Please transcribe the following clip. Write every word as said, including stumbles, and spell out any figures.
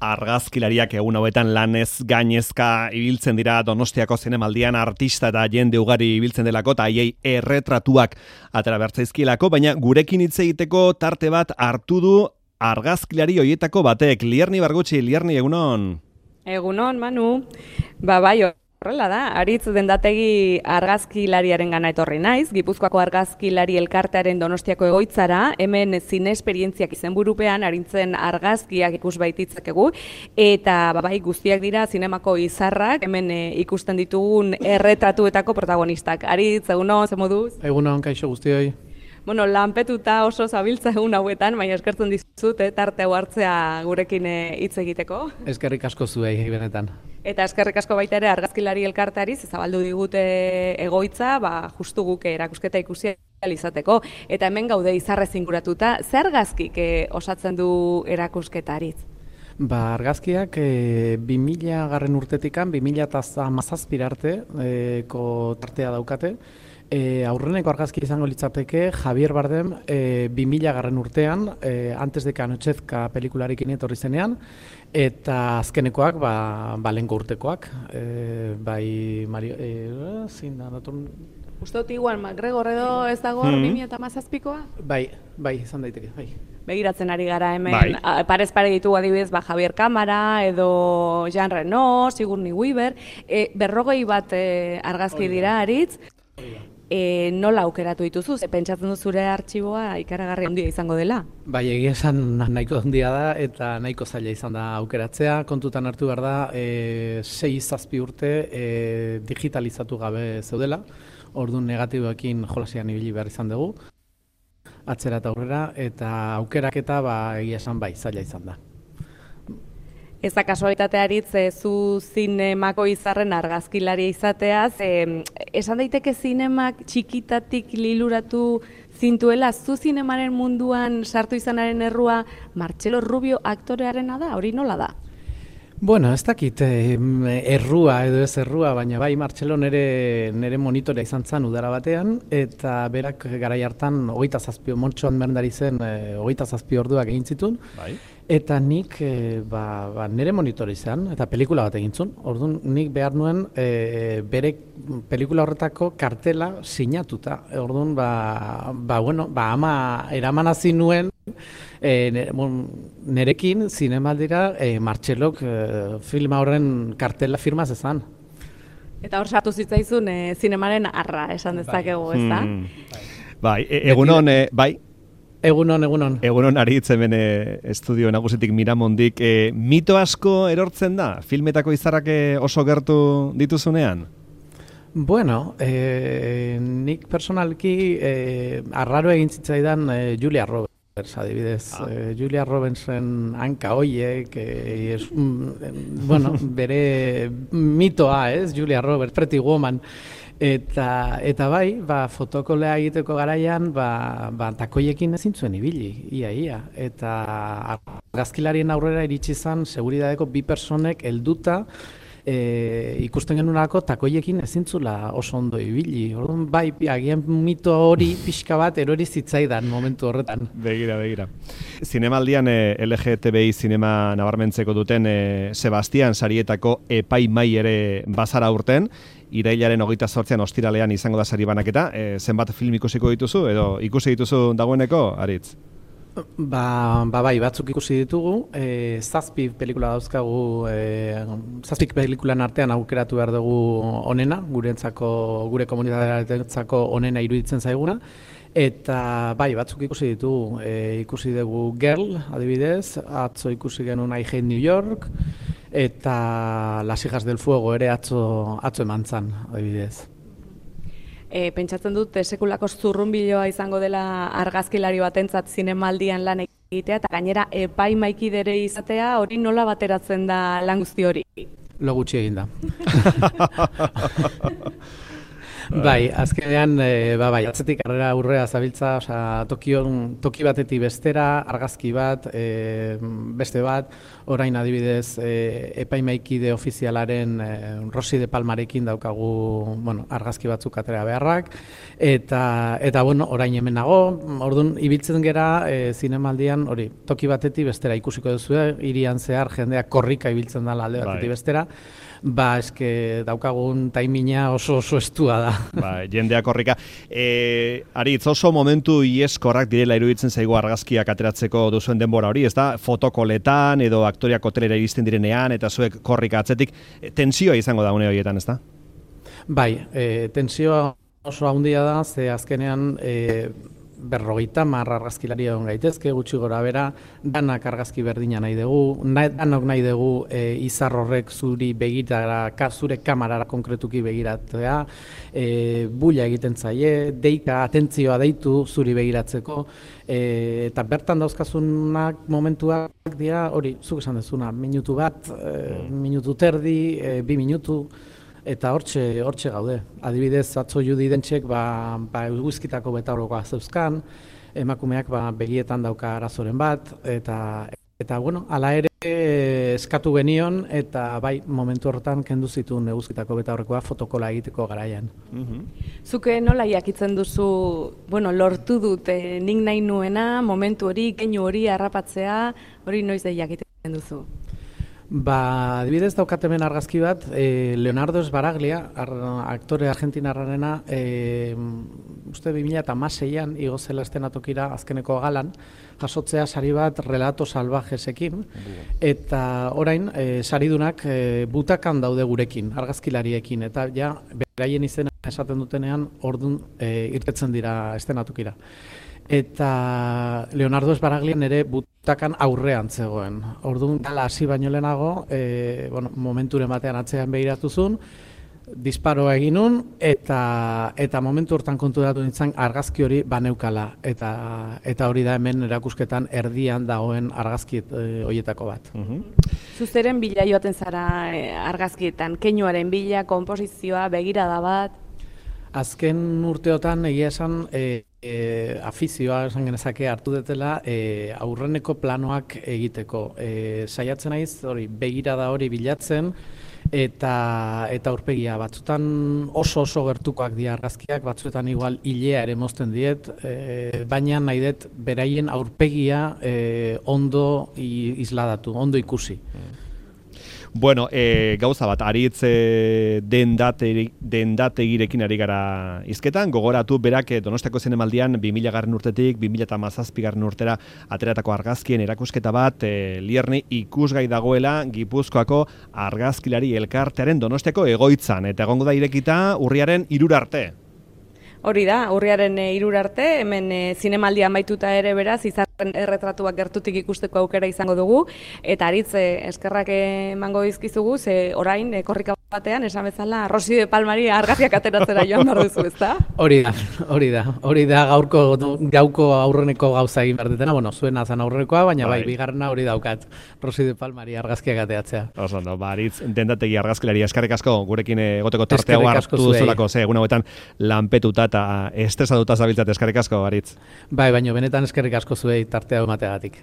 Argazkilariak egun hauetan lanez gainezka ibiltzen dira Donostiako zinemaldian artista eta jende ugari ibiltzen delako eta haiei erretratuak atera bertzaizkielako, baina gurekin hitz egiteko tarte bat hartu du argazkilari hoietako batek. Lierni Bargutxi, Lierni, egunon? Egunon, Manu. Ba, bai, horrela da, Aritz dendategi argazkilariaren gana etorri naiz, Gipuzkoako argazkilari elkartearen Donostiako egoitzara, hemen zine esperientziak izenburupean arintzen argazkiak ikus baititzakegu, eta bai guztiak dira zinemako izarrak, hemen e, ikusten ditugun erretratuetako protagonistak. Aritz, egunon, ze moduz? Egunon, kaixo guztioi. Bueno, lanpetuta oso zabiltza egun hauetan, baina eskertzen dizut, eh, tarte hau hartzea gurekin hitz egiteko. Eskerrik asko zuei, benetan. Eta eskerrik asko baita ere argazkilari elkarteari zabaldu digute egoitza, ba, justu guk erakusketa ikusi izateko. Eta hemen gaude izarrez inguratuta, zer argazkik eh, osatzen du erakusketaritz? Ba, argazkiak e, bi mila garren urtetikan, bi mila hamazazpira arte e, ko tartea daukate. E, aurreneko argazki izango litzateke Javier Bardem e, bi mila garren urtean, e, antes de Canochezka pelikularekin etorri zenean, eta azkenekoak, ba, balengo urtekoak, e, bai, Mario, e, zin da, natur... Uste dut igual, McGregor edo ez dago mm -hmm. bi mila hamazazpikoa? Bai, bai, izan daiteke, bai. Begiratzen ari gara hemen, bai. parez pare ditugu adibidez, ba, Javier Cámara edo Jean Reno, Sigourney Weaver, e, berrogei bat e, argazki dira, Aritz. E, nola aukeratu dituzu, ze pentsatzen du zure artxiboa ikaragarri handia izango dela? Bai, egia esan nahiko handia da eta nahiko zaila izan da aukeratzea. Kontutan hartu behar da, e, sei zazpi urte e, digitalizatu gabe zeudela, orduan negatiboekin jolasian ibili behar izan dugu, atzera eta aurrera, eta aukeraketa ba, egia esan bai, zaila izan da. Ez da kasualitatea Aritz, e, zu zinemako izarren argazkilaria izateaz, e, esan daiteke zinemak txikitatik liluratu zintuela, zu zinemaren munduan sartu izanaren errua Martxelo Rubio aktorearena da, hori nola da? Bueno, ez dakit errua edo ez errua, baina bai Martxelo nere, nere monitorea izan zen udara batean, eta berak garai hartan hogeita zazpi, Montxoan berndari zen e, hogeita zazpi orduak egin zituen, Bai. Eta nik e, ba, ba, nire monitore izan, eta pelikula bat egin zuen. Orduan nik behar nuen e, bere pelikula horretako kartela sinatuta. Orduan ba, ba, bueno, ba, ama eramanazi nuen e, nere, bon, nerekin zinemaldira e, Martxelok e, filma horren kartela firma zezan. Eta hor sartu zitzaizun e, zinemaren arra esan dezakegu, ez da? Hmm. Bai, e, egunon, e, bai? Egunon, egunon. Egunon Aritz hemen e, estudio nagusitik Miramondik. E, mito asko erortzen da? Filmetako izarrak oso gertu dituzunean? Bueno, e, nik personalki e, arraro egin zitzaidan e, Julia Roberts, adibidez. Ah. E, Julia Robertsen hanka hoiek, e, es, mm, bueno, bere mitoa, ez? Julia Roberts, Pretty Woman. Eta, eta bai, ba, fotokolea egiteko garaian, ba, ba, takoiekin ezin zuen ibili, ia, ia. Eta argazkilarien aurrera iritsi zen, seguridadeko bi personek helduta e, ikusten genunako takoiekin ezin zula oso ondo ibili. Orduan, bai, agian mito hori pixka bat erori zitzaidan momentu horretan. Begira, begira. Zinemaldian e, L G T B I zinema nabarmentzeko duten e, Sebastian sarietako epaimai ere bazara urten, irailaren hogeita zortzian ostiralean izango da sari banaketa. E, zenbat film ikusiko dituzu edo ikusi dituzu dagoeneko, Aritz? Ba, ba bai, batzuk ikusi ditugu, e, zazpi pelikula dauzkagu, e, zazpik pelikulan artean aukeratu behar dugu onena, gurentzako, gure komunitatearentzako onena iruditzen zaiguna, eta bai, batzuk ikusi ditugu, e, ikusi dugu Girl, adibidez, atzo ikusi genuen I Hate New York, eta Las hijas del fuego ere atzo, atzo eman zan, adibidez. E, pentsatzen dut, sekulako zurrunbiloa izango dela argazkilari batentzat zinemaldian lan egitea, eta gainera epaimaikidere izatea, hori nola bateratzen da lan guzti hori? Lo gutxi egin da. Bai, azkenean, e, ba, bai, atzetik arrera aurrea zabiltza, osea, tokion, toki batetik bestera, argazki bat, e, beste bat, orain adibidez, e, epaimaikide ofizialaren e, Rosi de Palmarekin daukagu, bueno, argazki batzuk atera beharrak, eta, eta bueno, orain hemen nago, orduan, ibiltzen gera, e, zinemaldian, hori, toki batetik bestera ikusiko duzu, hirian zehar, jendeak korrika ibiltzen dela alde batetik bestera, ba, eske daukagun taimina oso oso estua da. Ba, jendeak horrika. E, Aritz, oso momentu ieskorrak direla iruditzen zaigu argazkiak ateratzeko duzuen denbora hori, ez da? Fotokoletan edo aktoriak hotelera iristen direnean eta zuek korrika atzetik. E, tensioa izango da une horietan, ez da? Bai, e, tensioa oso handia da, ze azkenean e, berrogeita mar argazkilari egon gaitezke, gutxi gora bera, danak argazki berdina nahi dugu, nahi, danok nahi dugu e, izar horrek zuri begitara, ka, zure kamarara konkretuki begiratzea, e, bulla egiten zaie, deika, atentzioa deitu zuri begiratzeko, e, eta bertan dauzkazunak momentuak dira, hori, zuk esan dezuna, minutu bat, e, minutu terdi, e, bi minutu, eta hortxe, hortxe gaude. Adibidez, atzo Judi Dentsek ba, ba eguzkitako betaurrekoa zeuzkan, emakumeak ba, begietan dauka arazoren bat, eta, eta bueno, hala ere eskatu genion, eta bai, momentu horretan kendu zituen eguzkitako betaurrekoa fotokola egiteko garaian. Zuke nola jakitzen duzu, bueno, lortu dut, eh, nik nahi nuena, momentu hori, keinu hori, harrapatzea, hori noiz da jakiten duzu? Ba, adibidez daukat hemen argazki bat, e, Leonardo Sbaraglia, ar, aktore argentinarrarena, e, uste bi mila hamaseian igo zela estenatokira azkeneko galan, jasotzea sari bat relato salvajesekin, eta orain e, saridunak e, butakan daude gurekin, argazkilariekin, eta ja, beraien izena esaten dutenean, ordun e, irtetzen dira estenatokira. Eta Leonardo Sbaraglian ere butakan aurrean zegoen. Orduan, gala hasi baino lehenago, e, bueno, momenturen batean atzean behiratuzun, disparoa eginun, eta, eta momentu hortan konturatu nintzen argazki hori baneukala. Eta, eta hori da hemen erakusketan erdian dagoen argazki e, horietako bat. Zuzeren bila joaten zara e, argazkietan, keinuaren bila, konposizioa, begirada bat? Azken urteotan egia esan e, e, afizioa esan genezake hartu detela e, aurreneko planoak egiteko. E, saiatzen naiz hori begirada hori bilatzen eta eta aurpegia batzutan oso oso gertukoak dira argazkiak, batzuetan igual ilea ere mozten diet, e, baina nahi dut beraien aurpegia e, ondo isladatu, ondo ikusi. Bueno, e, gauza bat, Aritz e, dendategirekin ari gara hizketan, gogoratu berak Donostiako Zinemaldian bi mila garren urtetik bi mila hamazazpi garren urtera ateratako argazkien erakusketa bat e, Lierni ikusgai dagoela Gipuzkoako argazkilari elkartearen Donostiako egoitzan, eta egongo da irekita urriaren hirura arte. Hori da, urriaren hirura arte, hemen e, zinemaldian baituta ere beraz, izarren erretratuak gertutik ikusteko aukera izango dugu, eta Aritz e, eskerrak emango dizkizugu, ze orain e, korrika batean, esan bezala, Rosi de Palmari argazkiak ateratzera joan behar duzu, ezta? Hori da, hori da, hori da gaurko, gauko aurreneko gauza egin behar dutena, bueno, zuena zan aurrenekoa, baina bai, bai bigarrena hori daukat, Rosi de Palmari argazkiak ateratzea. Oso, no, ba, Aritz, dendategi argazkilari, eskerrik asko, gurekin egoteko tartea hartu duzulako, ze, egun hauetan lanpetuta eta estresatuta zabiltzat, eskerrik asko, Aritz. Bai, baina benetan eskerrik asko zuei tartea emateagatik.